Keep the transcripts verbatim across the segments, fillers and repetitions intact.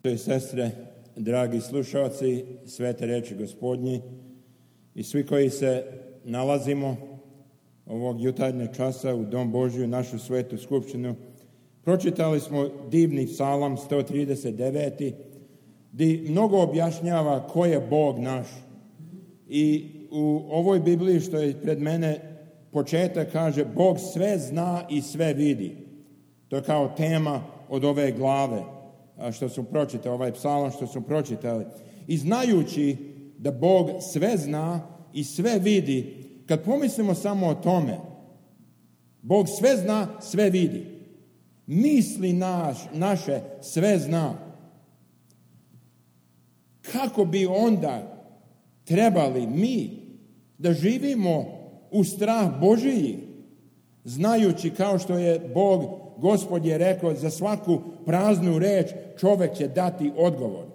i sestre, dragi slušalci svete riječi Gospodnji i svi koji se nalazimo ovog jutarnjeg časa u Dom Božju, našu svetu skupštinu, pročitali smo divni psalam sto trideset devet. Gdje mnogo objašnjava ko je Bog naš. I u ovoj Bibliji što je pred mene početak kaže Bog sve zna i sve vidi. To je kao tema od ove glave što su pročitali, ovaj psalam što su pročitali. I znajući da Bog sve zna i sve vidi, kad pomislimo samo o tome, Bog sve zna, sve vidi. Misli naš, naše sve zna. Kako bi onda trebali mi da živimo u strah Božiji, znajući kao što je Bog, Gospod je rekao, za svaku praznu reč čovjek će dati odgovor.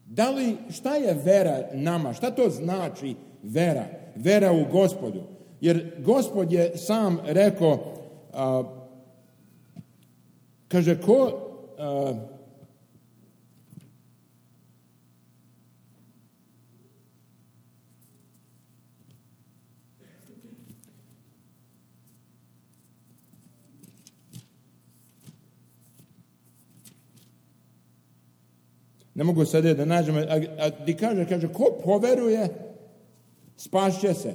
Da li, šta je vera nama? Šta to znači vera? Vera u Gospodu. Jer Gospod je sam rekao, a, kaže, ko... A, Ne mogu sada da nađem, a, a di kaže, kaže, ko poveruje, spašće se.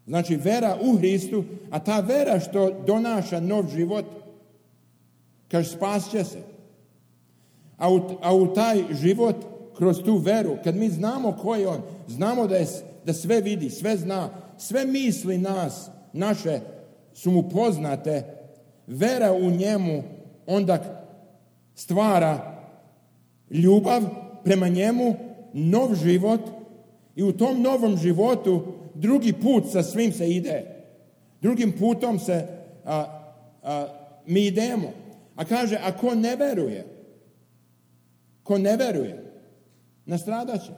Znači, vera u Hristu, a ta vera što donaša nov život, kaže, spašće se. A u, a u taj život, kroz tu veru, kad mi znamo ko je on, znamo da, je, da sve vidi, sve zna, sve misli nas, naše su mu poznate, vera u njemu onda stvara ljubav prema njemu, nov život i u tom novom životu drugi put sa svim se ide. Drugim putom se a, a, mi idemo. A kaže, a ko ne veruje, ko ne veruje, nastradat će.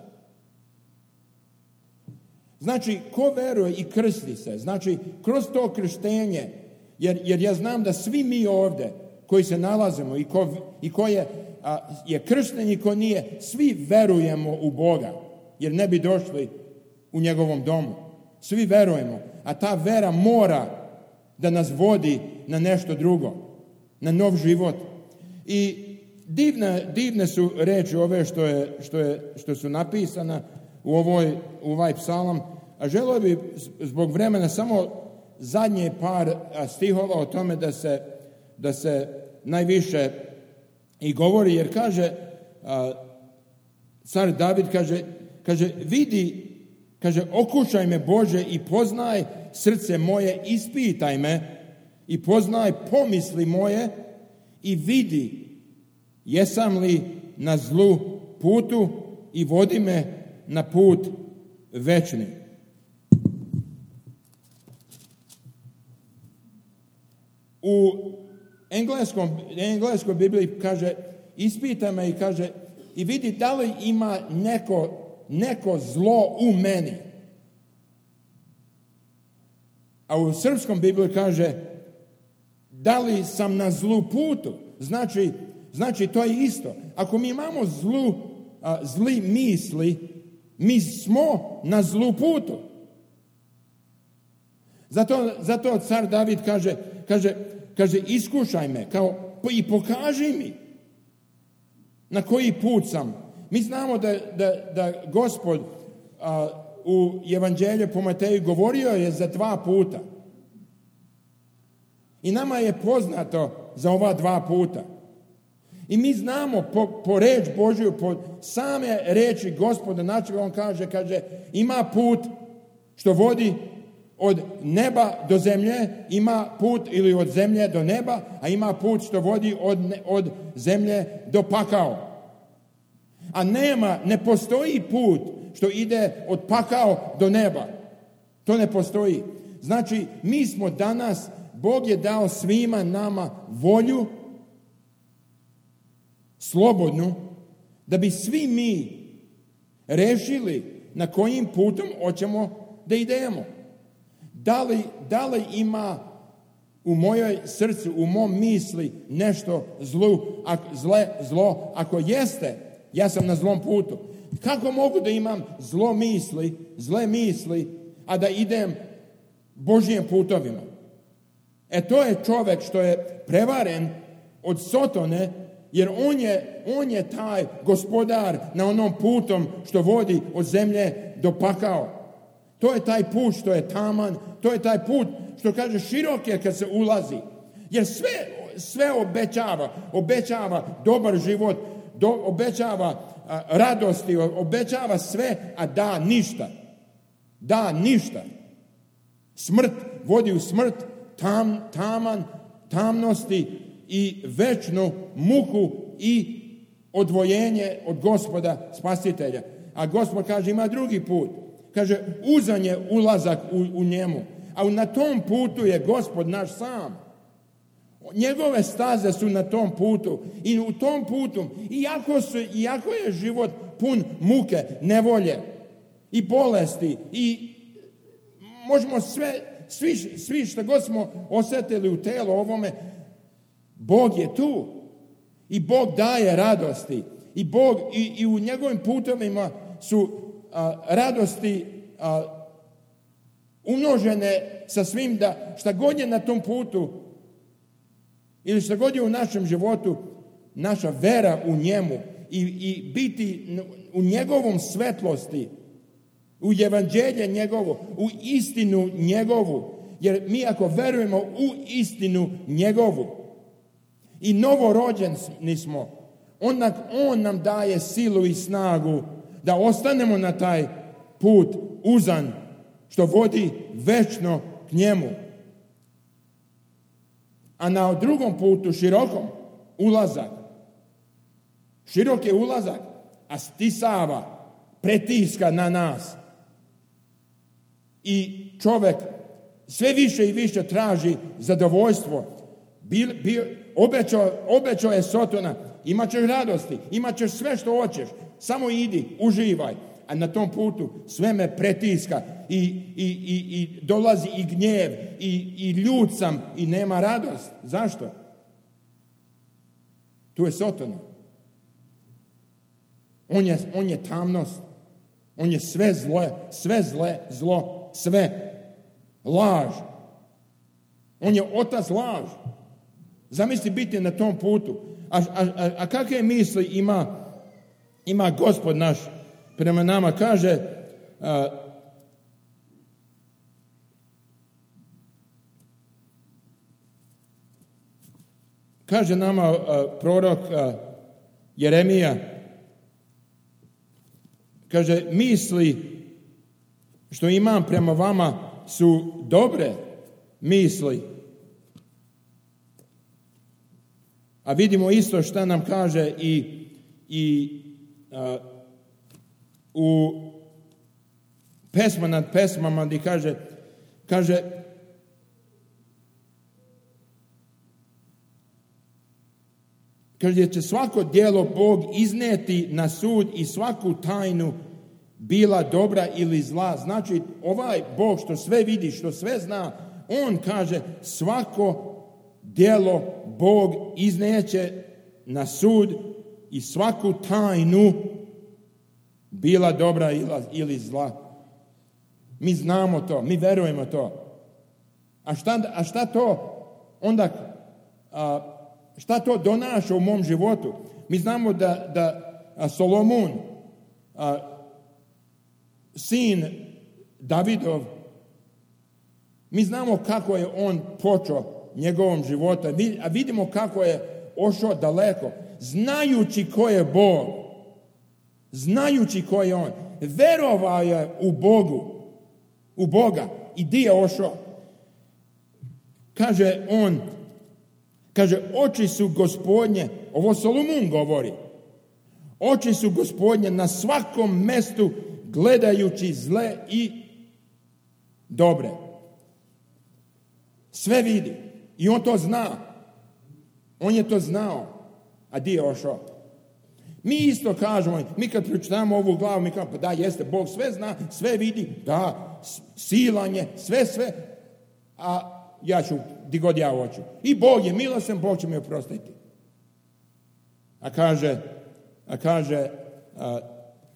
Znači, ko veruje i krsti se, znači, kroz to krštenje, jer, jer ja znam da svi mi ovdje koji se nalazimo i ko, i ko je a, je kršten i ko nije, svi verujemo u Boga, jer ne bi došli u njegovom domu. Svi verujemo, a ta vera mora da nas vodi na nešto drugo, na nov život. I divne, divne su reči ove što, je, što, je, što su napisana u, ovoj, u ovaj psalam, a želio bi zbog vremena samo zadnje par stihova o tome da se, da se najviše i govori, jer kaže, a, car David kaže, kaže, vidi, kaže, okušaj me Bože i poznaj srce moje, ispitaj me i poznaj pomisli moje i vidi jesam li na zlu putu i vodi me na put večni. U engleskom, engleskoj Bibliji kaže, ispita me i kaže, i vidi da li ima neko, neko zlo u meni. A u srpskom Bibliji kaže, da li sam na zlu putu? Znači, znači to je isto. Ako mi imamo zlu, a, zli misli, mi smo na zlu putu. Zato, zato car David kaže, kaže, kaže, iskušaj me, kao, i pokaži mi na koji put sam. Mi znamo da, da, da Gospod a, u Evanđelju po Mateju govorio je za dva puta. I nama je poznato za ova dva puta. I mi znamo po, po reč Božju, po same reči Gospoda načega, on kaže, kaže, ima put što vodi od neba do zemlje, ima put ili od zemlje do neba, a ima put što vodi od, od zemlje do pakao. A nema, ne postoji put što ide od pakao do neba. To ne postoji. Znači, mi smo danas, Bog je dao svima nama volju, slobodnu, da bi svi mi rešili na kojim putom hoćemo da idemo. Da li, da li ima u mojoj srcu, u mom misli nešto zlu, ako, zle, zlo? Ako jeste, ja sam na zlom putu. Kako mogu da imam zlo misli, zle misli, a da idem Božjim putovima? E to je čovjek što je prevaren od Sotone, jer on je, on je taj gospodar na onom putom što vodi od zemlje do pakao. To je taj put što je taman, to je taj put što kaže širok je kad se ulazi. Jer sve, sve obećava, obećava dobar život, do, obećava a, radosti, obećava sve, a da ništa. Da ništa. Smrt vodi u smrt, tam, taman, tamnosti i večnu muku i odvojenje od Gospoda Spasitelja. A Gospod kaže ima drugi put. Kaže uzan je ulazak u, u njemu. A na tom putu je Gospod naš sam. Njegove staze su na tom putu. I u tom putu, iako, su, iako je život pun muke, nevolje i bolesti i možemo sve, svi, svi što god smo osjetili u telu ovome, Bog je tu. I Bog daje radosti. I Bog i, i u njegovim putovima su a, radosti a, umnožene sa svim da šta god je na tom putu ili šta god je u našem životu, naša vera u njemu i, i biti u njegovom svetlosti, u evanđelje njegovo, u istinu njegovu. Jer mi ako verujemo u istinu njegovu i novorođeni smo, onda on nam daje silu i snagu da ostanemo na taj put uzan što vodi večno k njemu. A na drugom putu, širokom, ulazak. Širok je ulazak, a stisava, pretiska na nas. I čovjek sve više i više traži zadovoljstvo. Bil, bil, obećao, obećao je Sotona, imat ćeš radosti, imat ćeš sve što hoćeš, samo idi, uživaj. A na tom putu sve me pretiska i, i, i, i dolazi i gnjev i, i ljud sam i nema radost. Zašto? Tu je Sotona. On je, on je tamnost. On je sve zlo, sve zle, zlo, sve. Laž. On je otac laž. Zamisli biti na tom putu. A, a, a, a kakve misli ima, ima Gospod naš prema nama? Kaže, a, kaže nama a, prorok a, Jeremija, kaže, misli što imam prema vama su dobre misli. A vidimo isto što nam kaže i, i a, u pesma nad pesmama gdje kaže, kaže kaže će svako djelo Bog izneti na sud i svaku tajnu bila dobra ili zla. Znači ovaj Bog što sve vidi, što sve zna, on kaže svako djelo Bog izneće na sud i svaku tajnu bila dobra ili zla. Mi znamo to, mi verujemo to. A šta, a šta to onda, a, šta to donaša u mom životu? Mi znamo da, da a Solomon, a, sin Davidov, mi znamo kako je on počeo njegovom životu, a vidimo kako je ošao daleko, znajući ko je Bog, znajući ko je on, verovao je u Bogu, u Boga i di je ošao. Kaže on, kaže, oči su Gospodnje, ovo Solomon govori, oči su Gospodnje na svakom mestu gledajući zle i dobre. Sve vidi. I on to zna. On je to znao. A di je ošao? Mi isto kažemo, mi kad pročitamo ovu glavu, mi kažemo, pa da, jeste, Bog sve zna, sve vidi, da, silanje, sve, sve. A ja ću di god ja hoću. I Bog je milostan, Bog će mi oprostiti. A kaže, a kaže a,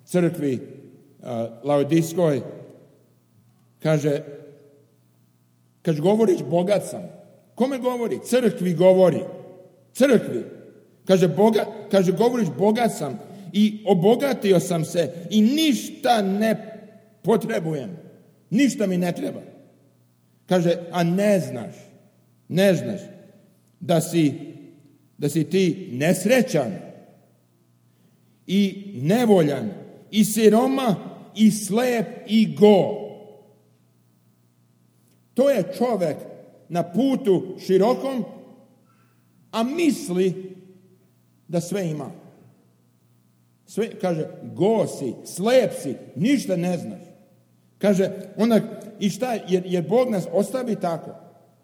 crkvi a, Laodijskoj, kaže, kad govoriš bogat sam, kome govori? Crkvi govori. Crkvi. Kaže, boga, kaže, govoriš bogat sam i obogatio sam se i ništa ne potrebujem. Ništa mi ne treba. Kaže, a ne znaš, ne znaš da si, da si ti nesrećan i nevoljan i siroma i slep i go. To je čovjek na putu širokom, a misli da sve ima. Sve, kaže, go si, slep si, ništa ne znaš. Kaže, onda, i šta, jer, jer Bog nas ostavi tako.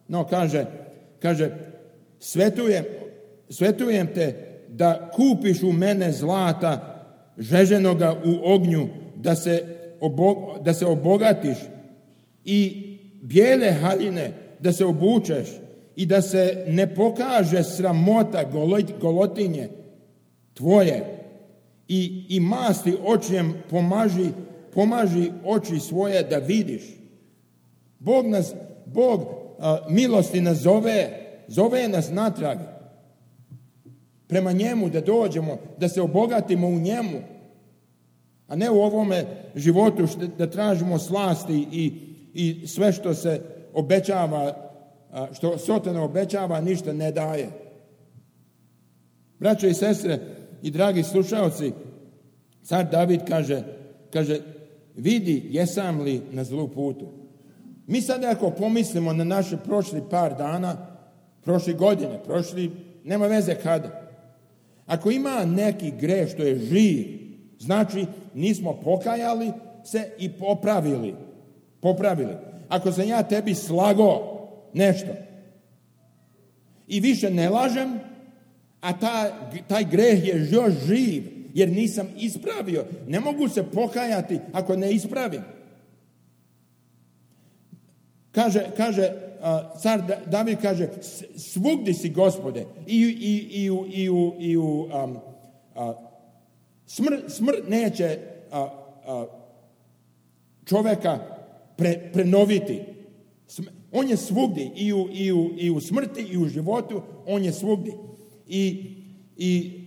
No, kaže, kaže, svetujem, svetujem te da kupiš u mene zlata žeženoga u ognju, da se, obo, da se obogatiš i bijele haljine da se obučeš i da se ne pokaže sramota golotinje tvoje i, i masti očijem pomaži, pomaži oči svoje da vidiš. Bog nas, Bog a, milosti nas zove, zove nas natrag prema njemu da dođemo, da se obogatimo u njemu, a ne u ovome životu što, da tražimo slasti i, i sve što se obećava, što Sotona obećava, ništa ne daje. Braćo i sestre i dragi slušalci, car David kaže, kaže, vidi jesam li na zlu putu. Mi sad ako pomislimo na naše prošli par dana, prošle godine, prošli, nema veze kada. Ako ima neki greh što je živ, znači nismo pokajali se i popravili. Popravili. Ako sam ja tebi slago nešto i više ne lažem, a ta, taj greh je još živ, jer nisam ispravio, ne mogu se pokajati ako ne ispravim. Kaže, kaže uh, car David kaže, svugdje si Gospode, i, i, i, u, i, u, i u um, uh, smrt, smrt neće uh, uh, čovjeka pre, prenoviti. On je svugdje, i u, i, u, i u smrti i u životu, on je svugdje. I, i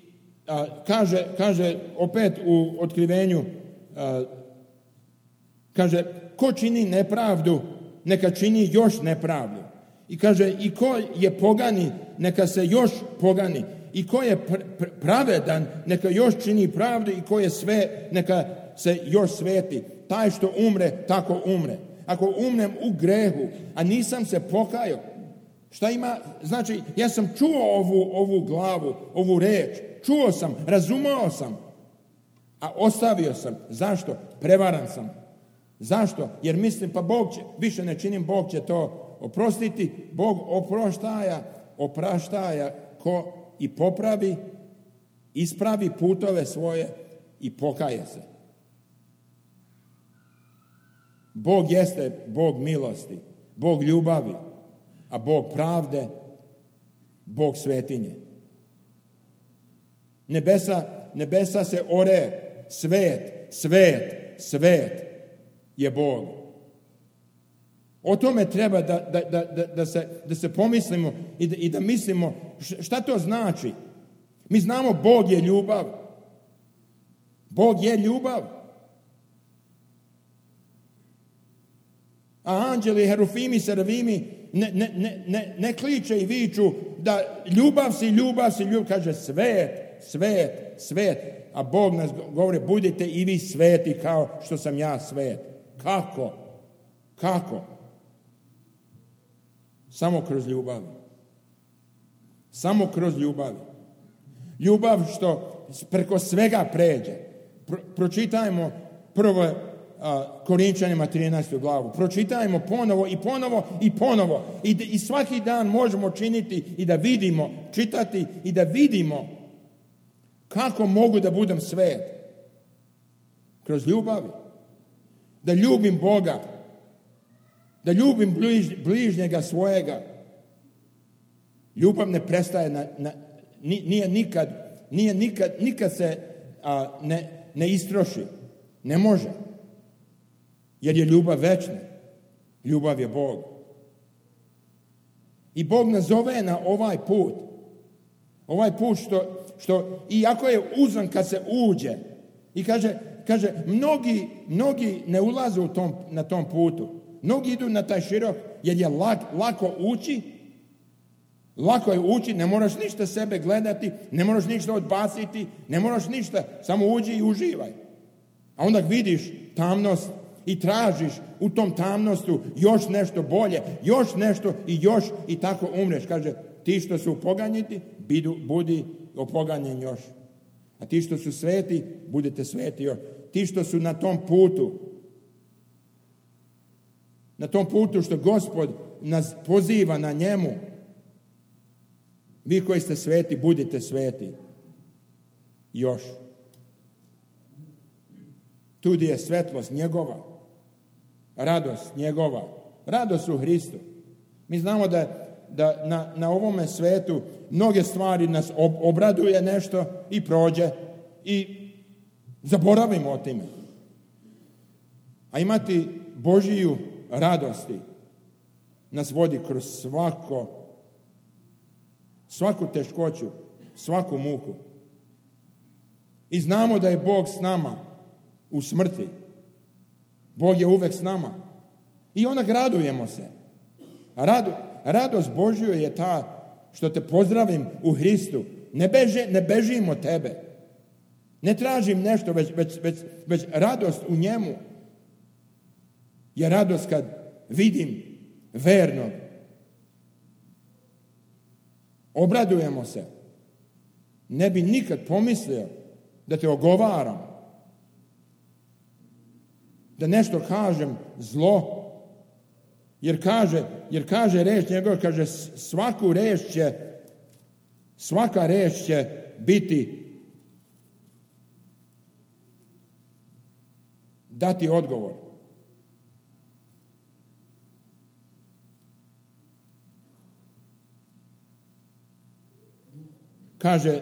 a, kaže, kaže opet u otkrivenju, a, kaže, ko čini nepravdu, neka čini još nepravdu. I kaže, i ko je pogani, neka se još pogani. I ko je pr- pr- pravedan, neka još čini pravdu, i ko je sve, neka se još sveti. Taj što umre, tako umre. Ako umrem u grehu, a nisam se pokajao, šta ima? Znači, ja sam čuo ovu, ovu glavu, ovu reč, čuo sam, razumao sam, a ostavio sam. Zašto? Prevaran sam. Zašto? Jer mislim, pa Bog će, više ne činim, Bog će to oprostiti. Bog oproštaja, opraštaja ko i popravi, ispravi putove svoje i pokaje se. Bog jeste Bog milosti, Bog ljubavi, a Bog pravde, Bog svetinje. Nebesa, nebesa se ore, svet, svet, svet je Bog. O tome treba da, da, da, da, da, se, da se pomislimo i da, i da mislimo šta to znači. Mi znamo Bog je ljubav. Bog je ljubav. A anđeli, herufimi, serafimi ne, ne, ne, ne, ne kliče i viču da ljubav si, ljubav si, ljubav. Kaže svet, svet, svet. A Bog nas govori, budite i vi sveti kao što sam ja svet. Kako? Kako? Samo kroz ljubav. Samo kroz ljubav. Ljubav što preko svega pređe. Pro, pročitajmo prvo Korinčanima trinaestu glavu. Pročitajmo ponovo i ponovo i ponovo. I, I svaki dan možemo činiti i da vidimo, čitati i da vidimo kako mogu da budem svet. Kroz ljubavi. Da ljubim Boga. Da ljubim bliž, bližnjega svojega. Ljubav ne prestaje, na, na, nije nikad, nije nikad, nikad se a, ne, ne istroši. Ne može. Jer je ljubav večna. Ljubav je Bog. I Bog nas zove na ovaj put. Ovaj put što, što iako je uzan kad se uđe. I kaže, kaže mnogi, mnogi ne ulaze u tom, na tom putu. Mnogi idu na taj širok jer je lak, lako ući. Lako je ući, ne moraš ništa sebe gledati, ne moraš ništa odbaciti, ne moraš ništa, samo uđi i uživaj. A onda vidiš tamnost i tražiš u tom tamnostu još nešto bolje, još nešto i još i tako umreš. Kaže, ti što su poganjiti, bidu, budi opoganjen još. A ti što su sveti, budete sveti još. Ti što su na tom putu, na tom putu što Gospod nas poziva na njemu, vi koji ste sveti, budite sveti. Još. Tu gdje je svetlost njegova, radost njegova, radost u Hristu. Mi znamo da, da na, na ovome svetu mnoge stvari nas ob, obraduje nešto i prođe i zaboravimo o time. A imati Božiju radosti nas vodi kroz svako svaku teškoću, svaku muku. I znamo da je Bog s nama u smrti. Bog je uvek s nama. I onda radujemo se. Rado, radost Božju je ta što te pozdravim u Hristu. Ne, beže, ne bežim od tebe. Ne tražim nešto, već, već, već, već radost u njemu. Je radost kad vidim vernog. Obradujemo se. Ne bi nikad pomislio da te ogovaram. Da nešto kažem zlo. Jer kaže, jer kaže reč njegova, kaže svaku reč će, svaka reč će biti dati odgovor. Kaže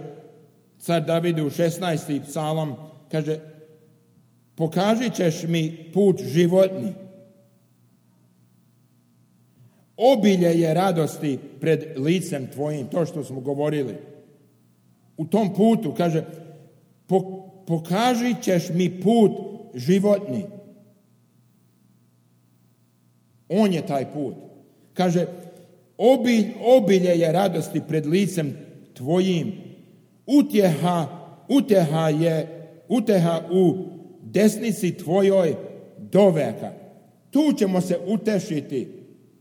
car David u šesnaesti psalam, kaže, pokažit ćeš mi put životni. Obilje je radosti pred licem tvojim, to što smo govorili. U tom putu, kaže, pokažit ćeš mi put životni. On je taj put. Kaže, obilj, obilje je radosti pred licem tvojim. Utjeha, utjeha je, utjeha u desnici tvojoj do veka. Tu ćemo se utešiti,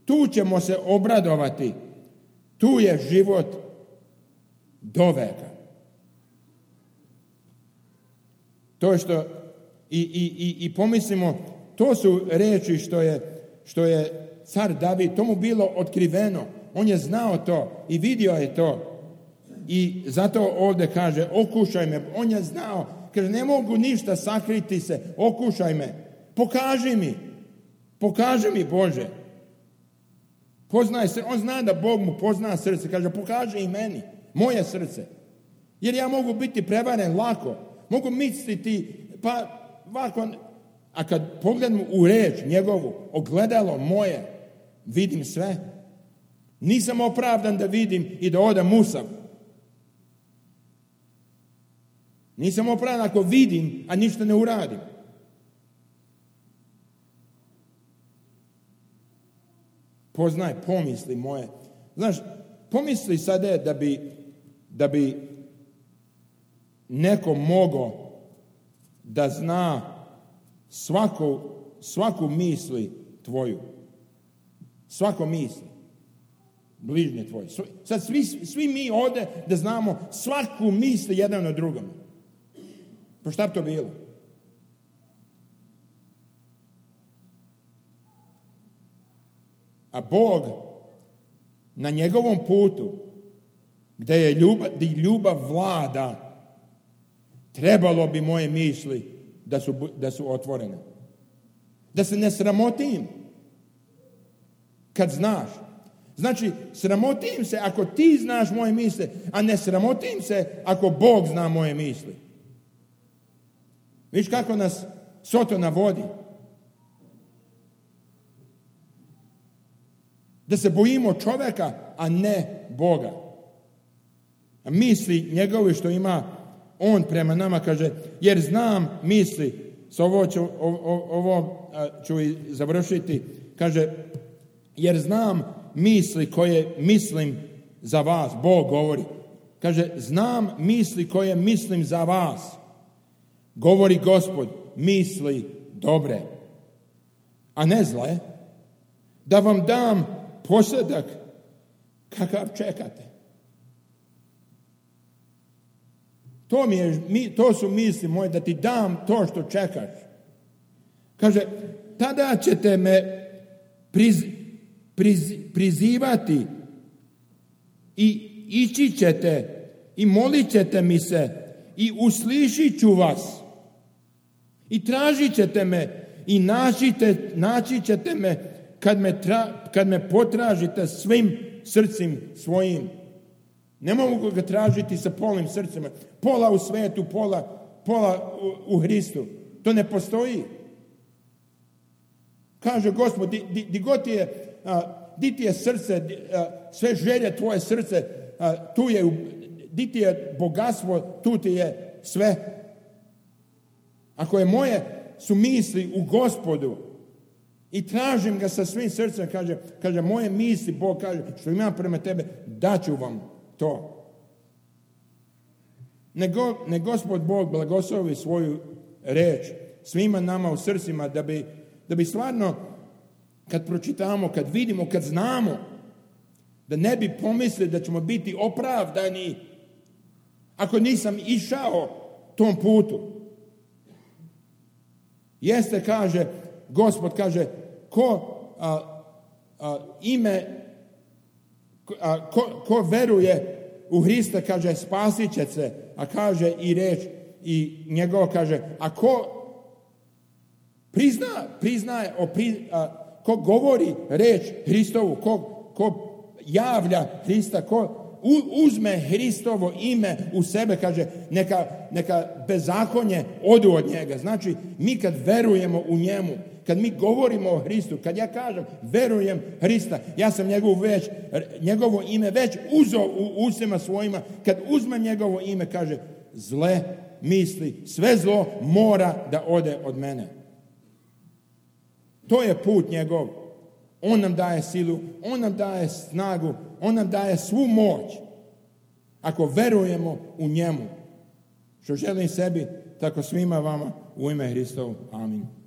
tu ćemo se obradovati, tu je život do veka. To je što i, i, i, i pomislimo, to su reči što je, što je car David, to mu bilo otkriveno, on je znao to i vidio je to. I zato ovdje kaže, okušaj me, on je znao, kaže, ne mogu ništa sakriti se, okušaj me, pokaži mi, pokaži mi Bože. Poznaj se, on zna da Bog mu pozna srce, kaže, pokaži i meni, moje srce. Jer ja mogu biti prevaren lako, mogu misliti, pa ovako, a kad pogledam u reč njegovu, ogledalo moje, vidim sve. Nisam opravdan da vidim i da odam musav. Nisam opravdan ako vidim, a ništa ne uradim. Poznaj pomisli moje. Znaš, pomisli sada da bi, da bi neko mogao da zna svaku, svaku misli tvoju. Svako misli. Bližnje tvoje. Sad svi, svi mi ovdje da znamo svaku misli jedan od drugom. Pa šta bi to bilo? A Bog na njegovom putu gdje je ljubav, gdje ljubav vlada, trebalo bi moje misli da su, da su otvorene. Da se ne sramotim kad znaš. Znači, sramotim se ako ti znaš moje misli, a ne sramotim se ako Bog zna moje misli. Viš kako nas Sotona vodi? Da se bojimo čovjeka, a ne Boga. A misli njegove što ima on prema nama, kaže, jer znam misli, s ovo ću, ovo, ovo ću i završiti, kaže, jer znam misli koje mislim za vas, Bog govori. Kaže, znam misli koje mislim za vas, govori Gospod, misli dobre, a ne zle, da vam dam posjedak kakav čekate. To, mi je, to su misli moje, da ti dam to što čekaš. Kaže, tada ćete me priz, priz, prizivati i ići ćete i molit ćete mi se i uslišit ću vas i tražit ćete me i naćite, naći ćete me kad me, tra, kad me potražite svim srcem svojim. Ne mogu ga tražiti sa polnim srcima. Pola u svetu, pola, pola u, u Hristu. To ne postoji. Kaže Gospod, di, di, di god ti je, a, di ti je srce, di, a, sve želje tvoje srce, a, tu je, di ti je bogatstvo, tu ti je sve. Ako je moje su misli u Gospodu i tražim ga sa svim srcem, kaže, kaže moje misli, Bog kaže, što imam prema tebe, daću vam to. Nego, ne Gospod Bog blagoslovi svoju reč svima nama u srcima, da bi, da bi stvarno, kad pročitamo, kad vidimo, kad znamo, da ne bi pomislili da ćemo biti opravdani ako nisam išao tom putu. Jeste, kaže, Gospod kaže, ko a, a, ime A ko, ko veruje u Hrista, kaže, spasit će se, a kaže i reč i njegov, kaže, a ko prizna, priznaje, o, pri, a, ko govori reč Hristovu, ko, ko javlja Hrista, ko u, uzme Hristovo ime u sebe, kaže, neka, neka bezakonje odu od njega. Znači, mi kad verujemo u njemu, kad mi govorimo o Hristu, kad ja kažem verujem Hrista, ja sam njegovo, već, njegovo ime već uzeo u ustima svojima, kad uzmem njegovo ime, kaže, zle misli, sve zlo mora da ode od mene. To je put njegov. On nam daje silu, on nam daje snagu, on nam daje svu moć. Ako verujemo u njemu, što želim sebi, tako svima vama u ime Hristovu. Amin.